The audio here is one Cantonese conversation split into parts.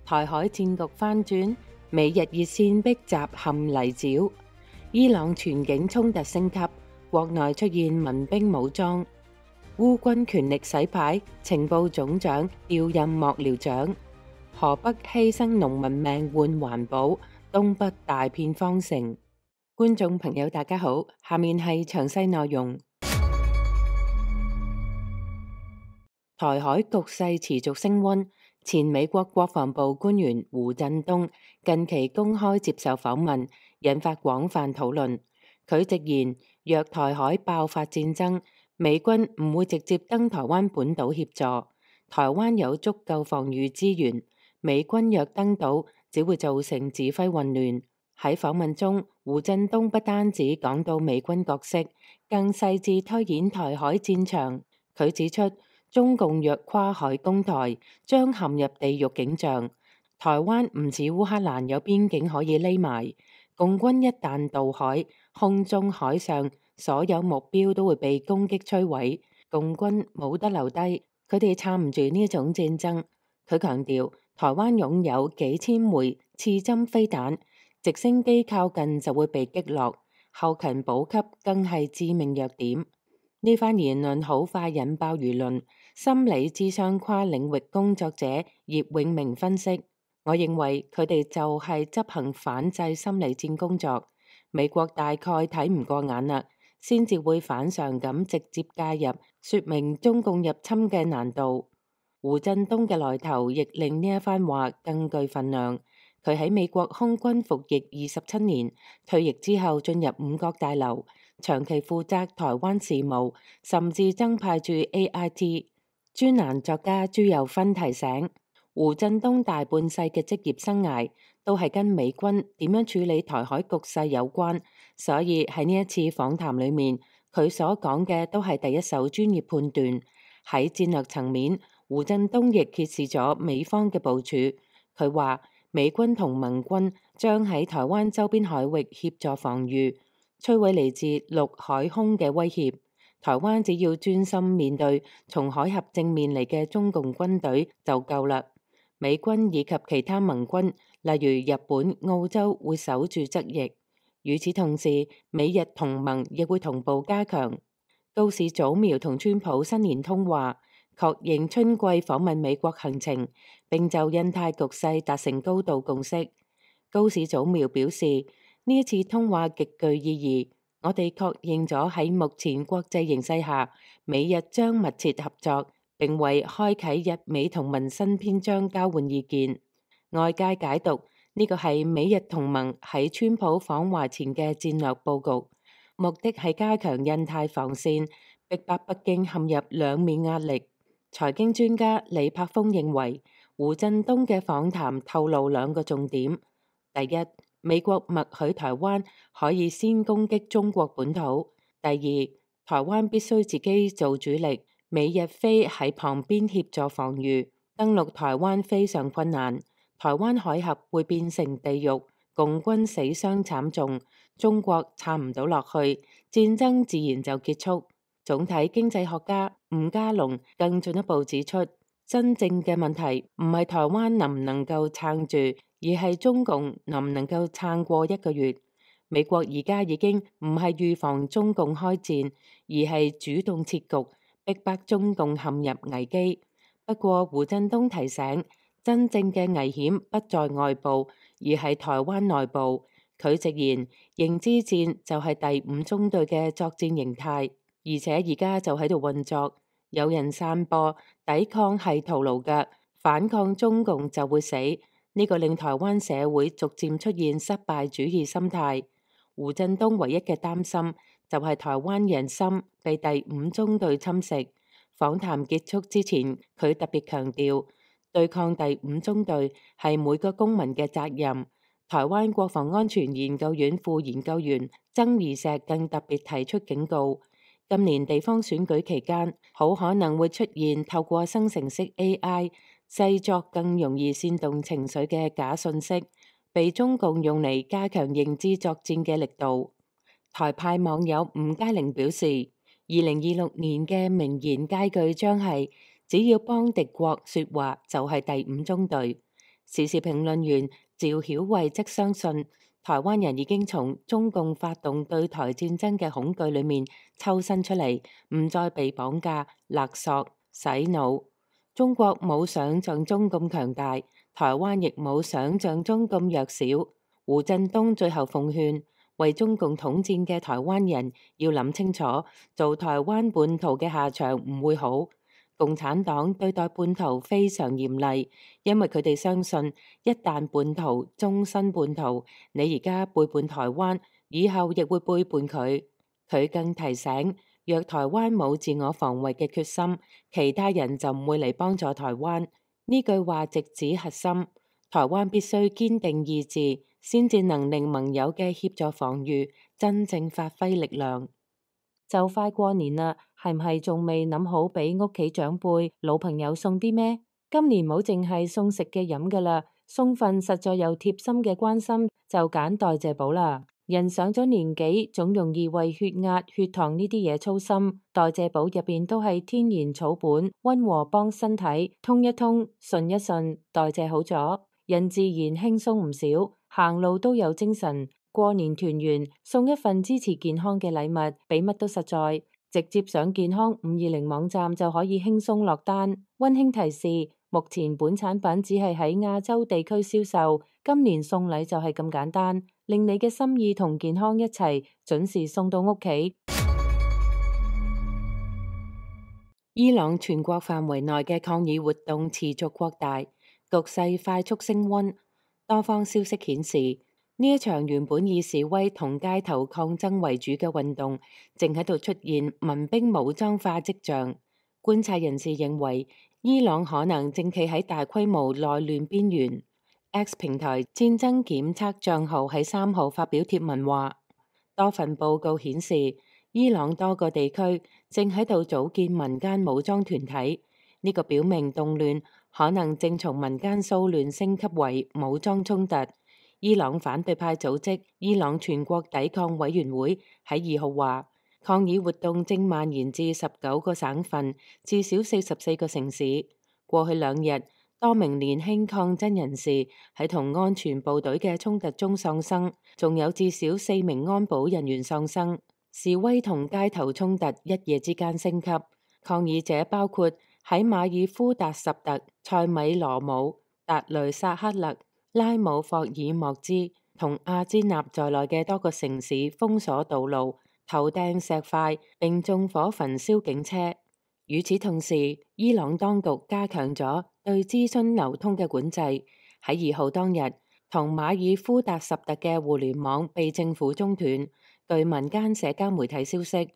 台海戰局翻轉，美日熱線逼襲陷泥沼，伊朗全境衝突升級，國內出現民兵武裝，烏軍權力洗牌，情報總長調任幕僚長，河北犧牲農民命換環保，東北大片荒城。觀眾朋友大家好，下面係詳細內容。台海局勢持續升溫，前美國國防部官員胡振東近期公開接受訪問，引發廣泛討論。佢直言，若台海爆發戰爭，美軍唔會直接登台灣本島協助，台灣有足夠防禦資源，美軍若登島，只會造成指揮混亂。喺訪問中，胡振東不單止講到美軍角色，更細緻推演台海戰場。佢指出，中共若跨海攻台，將陷入地獄景象。台灣唔似烏克蘭有邊境可以匿埋，共軍一旦渡海，空中海上所有目標都會被攻擊摧毀，共軍冇得留低，佢哋撐唔住呢一種戰爭。佢強調，台灣擁有幾千枚刺針飛彈，直升機靠近就會被擊落，後勤補給更係致命弱點。呢番言論好快引爆輿論。心理諮商跨領域工作者葉永明分析，我認為佢哋就係執行反制心理戰工作。美國大概睇唔過眼啦，先至會反常咁直接介入，說明中共入侵嘅難度。胡振東嘅來頭亦令呢一番話更具分量。佢喺美國空軍服役27年，退役之後進入五角大樓，長期負責台灣事務，甚至增派駐 AIT。專欄作家朱友芬提醒，胡振東大半世嘅職業生涯都係跟美軍點樣處理台海局勢有關，所以喺呢一次訪談裏面，佢所講嘅都係第一手專業判斷。喺戰略層面，胡振東亦揭示咗美方嘅部署。佢話美軍同盟軍將喺台灣周邊海域協助防禦，摧毀嚟自陸海空嘅威脅。台灣只要專心面對從海峽正面嚟嘅中共軍隊就夠啦。美軍以及其他盟軍，例如日本、澳洲，會守住側翼。與此同時，美日同盟亦會同步加強。高市早苗同川普新年通話，確認春季訪問美國行程，並就印太局勢達成高度共識。高市早苗表示，呢一次通話極具意義。我哋確認咗喺目前國際形勢下，美日將密切合作，並為開啟日美同盟新篇章交換意見。外界解讀呢個係美日同盟喺川普訪華前嘅戰略佈局，目的係加強印太防線，逼迫北京陷入兩面壓力。財經專家李柏峰認為，胡振東嘅訪談透露兩個重點：第一，美國默許台灣可以先攻擊中國本土；第二，台灣必須自己做主力，美日非喺旁邊協助防禦。登陸台灣非常困難，台灣海峽會變成地獄，共軍死傷慘重，中國撐唔到落去，戰爭自然就結束。總體經濟學家吳家龍更進一步指出，真正嘅問題唔係台灣能唔能夠撐住，而係中共能唔能夠撐過1個月。美國而家已經唔係預防中共開戰，而係主動設局，逼迫中共陷入危機。不過胡振東提醒，真正嘅危險不在外部，而係台灣內部。佢直言，認知戰就係第5中隊嘅作戰形態，而且而家就喺度運作。有人散播抵抗係徒勞嘅，反抗中共就會死。呢個令台灣社會逐漸出現失敗主義心態。胡振東唯一嘅擔心就係台灣人心被第5中隊侵蝕。訪談結束之前，佢特別強調，對抗第5中隊係每個公民嘅責任。台灣國防安全研究院副研究員曾義石更特別提出警告，今年地方選舉期間，好可能會出現透過生成式 AI製作更容易煽動情緒嘅假訊息，被中共用嚟加強認知作戰嘅力度。台派網友吳佳玲表示，2026年嘅名言佳句將係只要幫敵國說話就係第5中隊。時事評論員趙曉慧則相信，台灣人已經從中共發動對台戰爭嘅恐懼裏面抽身出嚟，唔再被綁架、勒索、洗腦。中國冇想象中咁強大，台灣亦冇想象中咁弱小。胡振東最後奉勸，為中共統戰嘅台灣人要諗清楚，做台灣叛徒嘅下場唔會好。共產黨對待叛徒非常嚴厲，因為佢哋相信一旦叛徒，終身叛徒。你而家背叛台灣，以後亦會背叛佢。佢更提醒，若台灣冇自我防衛嘅決心，其他人就唔會嚟幫助台灣。呢句話直指核心，台灣必須堅定意志，先至能令盟友嘅協助防禦真正發揮力量。就快過年啦，係唔係仲未諗好俾屋企長輩、老朋友送啲咩？今年冇淨係送食嘅飲噶啦，送份實在又貼心嘅關心，就揀代謝寶啦。人上咗年紀，總容易為血壓、血糖呢啲嘢操心。代謝寶入邊都係天然草本，溫和幫身體通一通、順一順，代謝好咗，人自然輕鬆唔少，行路都有精神。過年團圓，送一份支持健康嘅禮物，比乜都實在。直接上健康520網站就可以輕鬆落單。溫馨提示：目前本產品只係喺亞洲地區銷售，今年送禮就係咁簡單，令你嘅心意同健康一齊準時送到屋企。伊朗全國範圍內嘅抗議活動持續擴大，局勢快速升溫。多方消息顯示，呢一場原本以示威同街頭抗爭為主嘅運動，正喺度出現民兵武裝化跡象。觀察人士認為，伊朗可能正企喺大規模內亂邊緣。X 平台戰爭檢測帳號喺3號發表貼文話，多份報告顯示，伊朗多個地區正喺度組建民間武裝團體，呢個表明動亂可能正從民間騷亂升級為武裝衝突。伊朗反對派組織伊朗全國抵抗委員會喺2號話，抗議活動正蔓延至19個省份，至少44個城市。過去2日，多名年輕抗爭人士喺同安全部隊嘅衝突中喪生，仲有至少4名安保人員喪生。示威同街頭衝突一夜之間升級，抗議者包括喺馬爾夫達什特、塞米羅姆、達雷薩克勒、拉姆霍爾莫茲同阿茲納在內嘅多個城市封鎖道路、投掟石塊並縱火焚燒警車。與此同時，伊朗當局加強咗對資訊流通嘅管制。喺2號當日，同馬爾夫達什特嘅互聯網被政府中斷。據民間社交媒體消息，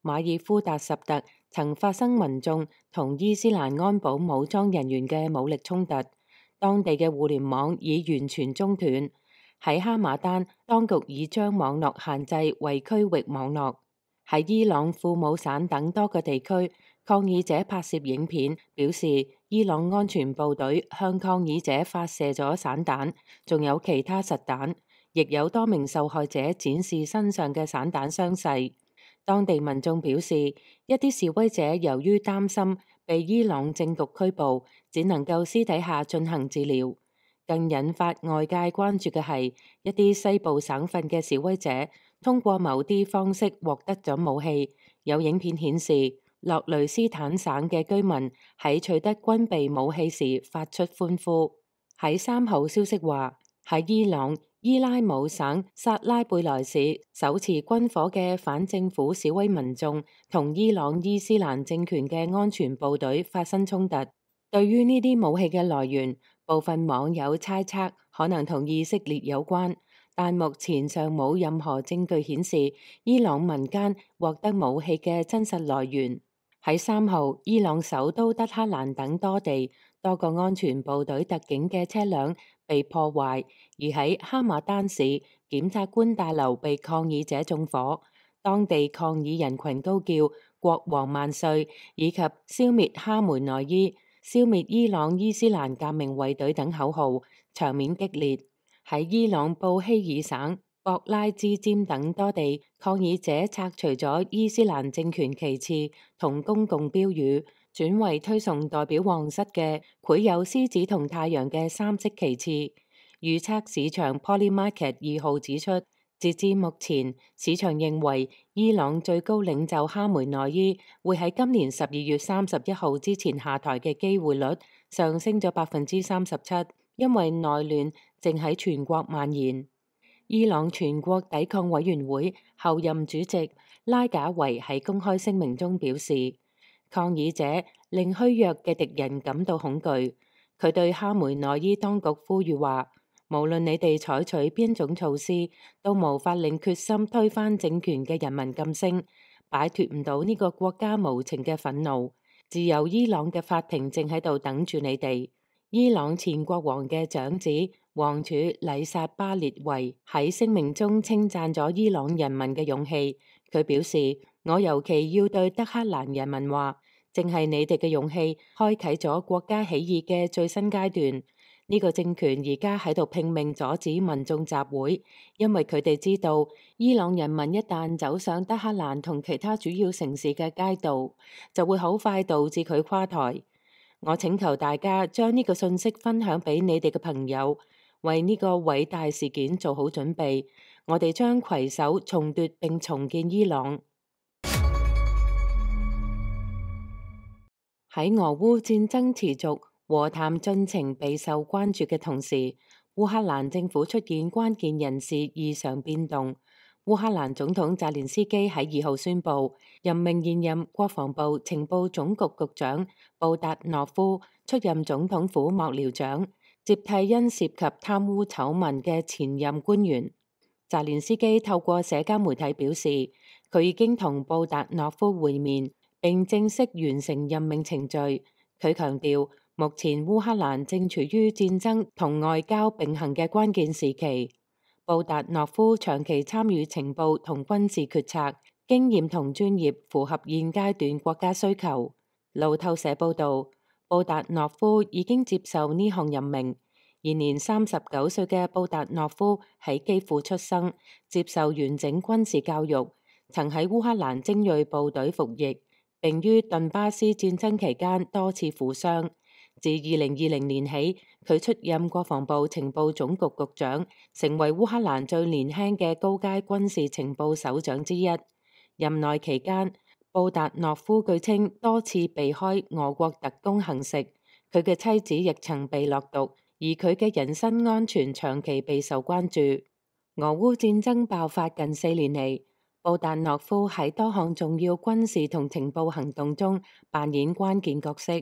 馬爾夫達什特曾發生民眾同伊斯蘭安保武裝人員嘅武力衝突。當地嘅互聯網已完全中斷。喺哈馬丹，當局已將網絡限制為區域網絡。喺伊朗庫姆省等多個地區，抗議者拍攝影片，表示伊朗安全部隊向抗議者發射咗散彈，仲有其他實彈，亦有多名受害者展示身上嘅散彈傷勢。當地民眾表示，一啲示威者由於擔心被伊朗政局拘捕，只能夠私底下進行治療。更引發外界關注嘅係，一啲西部省份嘅示威者通過某啲方式獲得咗武器。有影片顯示，洛雷斯坦省嘅居民喺取得軍備武器時發出歡呼。喺3號消息話，喺伊朗伊拉姆省薩拉貝萊市，手持軍火嘅反政府示威民眾同伊朗伊斯蘭政權嘅安全部隊發生衝突。對於呢啲武器嘅來源，部分網友猜測可能同以色列有關，但目前尚冇任何證據顯示伊朗民間獲得武器嘅真實來源。喺3號，伊朗首都德黑蘭等多地，多個安全部隊特警嘅車輛被破壞，而喺哈馬丹市，檢察官大樓被抗議者縱火。當地抗議人群高叫國王萬歲，以及消滅哈梅內伊、消滅伊朗伊斯蘭革命衛隊等口號，場面激烈。喺伊朗布希爾省博拉茲尖等多地，抗議者拆除咗伊斯蘭政權旗幟同公共標語，轉為推崇代表皇室嘅繪有獅子同太陽嘅三色旗幟。預測市場 Polymarket 2號指出，截至目前，市場認為伊朗最高領袖哈梅內伊會喺今年12月31號之前下台嘅機會率上升咗37%，因為內亂正喺全國蔓延。伊朗全國抵抗委員會後任主席拉賈維喺公開聲明中表示，抗議者令虛弱嘅敵人感到恐懼。佢對哈梅內伊當局呼籲話，無論你哋採取邊種措施，都無法令決心推翻政權嘅人民噤聲，擺脫唔到呢個國家無情嘅憤怒。自由伊朗嘅法庭正喺度等住你哋。伊朗前國王嘅長子王儲禮薩巴列維喺聲明中稱讚咗伊朗人民嘅勇氣。佢表示，我尤其要對德黑蘭人民話，正係你哋嘅勇氣開啟咗國家起義嘅最新階段。呢個政權而家喺度拼命阻止民眾集會，因為佢哋知道伊朗人民一旦走上德黑蘭同其他主要城市嘅街道，就會好快導致佢垮台。我請求大家將呢個信息分享俾你哋嘅朋友，為呢個偉大事件做好準備。我哋將攜手重奪並重建伊朗。喺俄烏戰爭持續、和談進程備受關注嘅同時，烏克蘭政府出現關鍵人事異常變動。烏克蘭總統澤連斯基喺2號宣布任命現任國防部情報總局局長布達諾夫出任總統府幕僚長，接替因涉及貪污醜聞嘅前任官員。澤連斯基透過社交媒體表示，佢已經同布達諾夫會面，並正式完成任命程序。佢強調，目前烏克蘭正處於戰爭同外交並行嘅關鍵時期。布達諾夫長期參與情報同軍事決策，經驗同專業符合現階段國家需求。路透社報道，布達諾夫已經接受呢項任命。現年39歲嘅布達諾夫喺基輔出生，接受完整軍事教育，曾喺烏克蘭精銳部隊服役，並於頓巴斯戰爭期間多次負傷。自2020年起，佢出任國防部情報總局局長，成為烏克蘭最年輕嘅高階軍事情報首長之一。任內期間，布達諾夫據稱多次避開俄國特工行食，佢嘅妻子亦曾被落毒，而佢嘅人身安全長期備受關注。俄烏戰爭爆發近4年嚟，布達諾夫喺多項重要軍事同情報行動中扮演關鍵角色，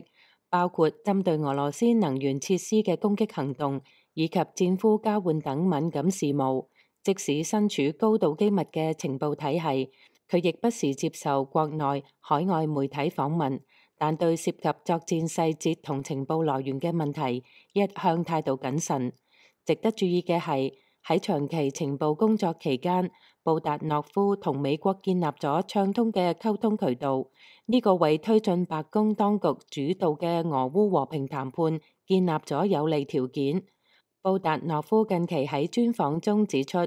包括針對俄羅斯能源設施嘅攻擊行動，以及戰俘交換等敏感事務。即使身處高度機密嘅情報體系，佢亦不時接受國內、海外媒體訪問，但對涉及作戰細節同情報來源嘅問題，一向態度謹慎。值得注意嘅係，喺長期情報工作期間，布達諾夫同美國建立咗暢通嘅溝通渠道，呢個為推進白宮當局主導嘅俄烏和平談判建立咗有利條件。布達諾夫近期喺專訪中指出，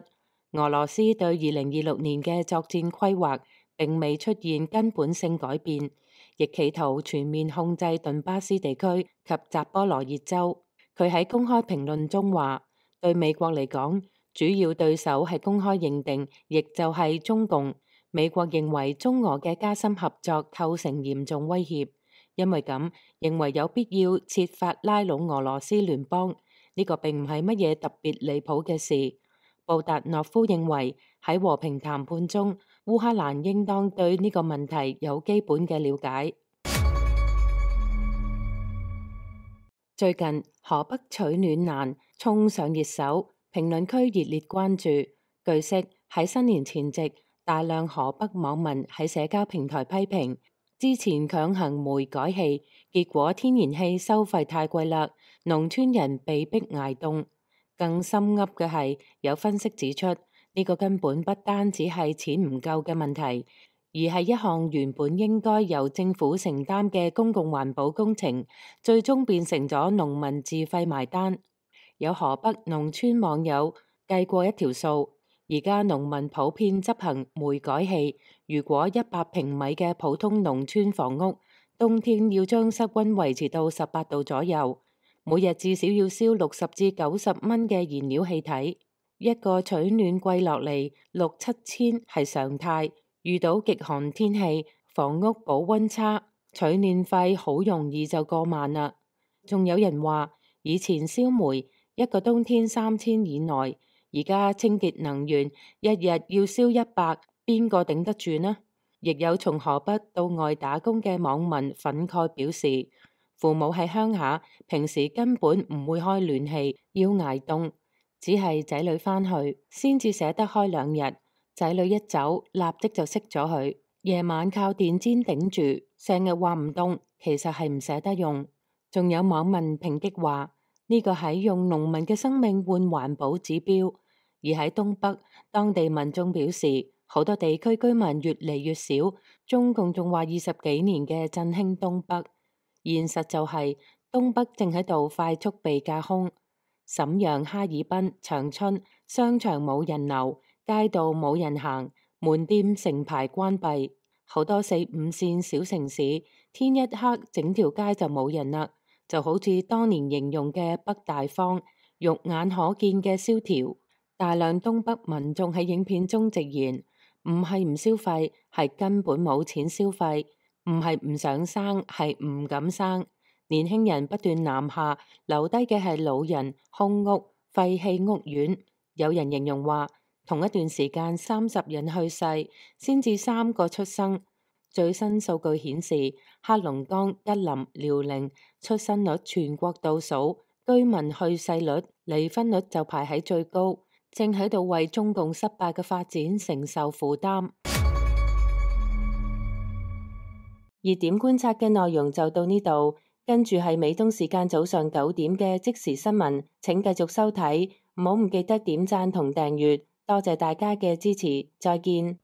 俄羅斯對2026年嘅作戰規劃並未出現根本性改變，亦企圖全面控制頓巴斯地區及扎波羅熱州。佢喺公開評論中話，對美國嚟講，主要對手係公開認定，亦就係中共。美國認為中俄嘅加深合作構成嚴重威脅，因為咁認為有必要設法拉攏俄羅斯聯邦。呢個並唔係乜嘢特別離譜嘅事。布達諾夫認為喺和平談判中，烏克蘭應當對呢個問題有基本嘅了解。最近河北取暖難衝上熱搜，評論區熱烈關注。據悉，喺新年前夕，大量河北網民喺社交平台批評之前強行煤改氣，結果天然氣收費太貴啦，農村人被逼捱凍。更深噏嘅係，有分析指出，呢個根本不單止係錢唔夠嘅問題，而係一項原本應該由政府承擔嘅公共環保工程，最終變成咗農民自費埋單。有河北農村網友計過一條數，而家農民普遍執行煤改氣，如果100平米嘅普通農村房屋冬天要將室溫維持到18度左右，每日至少要燒60至90蚊嘅燃料氣體。一個取暖季落嚟6、7千係常態，遇到極寒天氣，房屋保溫差，取暖費好容易就過萬啦。仲有人話，以前燒煤一個冬天3000以內，而家清潔能源一日要燒100，邊個頂得住呢？亦有從河北到外打工嘅網民憤慨表示，父母喺鄉下，平時根本唔會開暖氣，要捱凍，只係仔女返去先至捨得開2日，仔女一走立即就熄咗佢，夜晚靠電氈頂住，成日話唔凍，其實係唔捨得用。仲有網民抨擊話，呢個係用農民嘅生命換環保指標。而喺東北，當地民眾表示，好多地區居民越嚟越少，中共仲話20幾年嘅振興東北，現實就係東北正喺度快速被架空。瀋陽、哈爾濱、長春商場冇人流，街道冇人行，門店成排關閉，好多4、5線小城市，天一黑整條街就冇人啦。就好似當年形容嘅北大荒，肉眼可見嘅蕭條。大量東北民眾喺影片中直言，唔係唔消費，係根本冇錢消費；唔係唔想生，係唔敢生。年輕人不斷南下，留低嘅係老人、空屋、廢棄屋苑。有人形容話，同一段時間30人去世，先至3個出生。最新數據顯示，黑龍江、吉林、遼寧出生率全國倒數，居民去世率、離婚率就排喺最高，正喺度為中共失敗嘅發展承受負擔。熱點觀察嘅內容就到呢度，跟住係美東時間早上9點嘅即時新聞，請繼續收睇，唔好唔記得點讚同訂閱，多謝大家嘅支持，再見。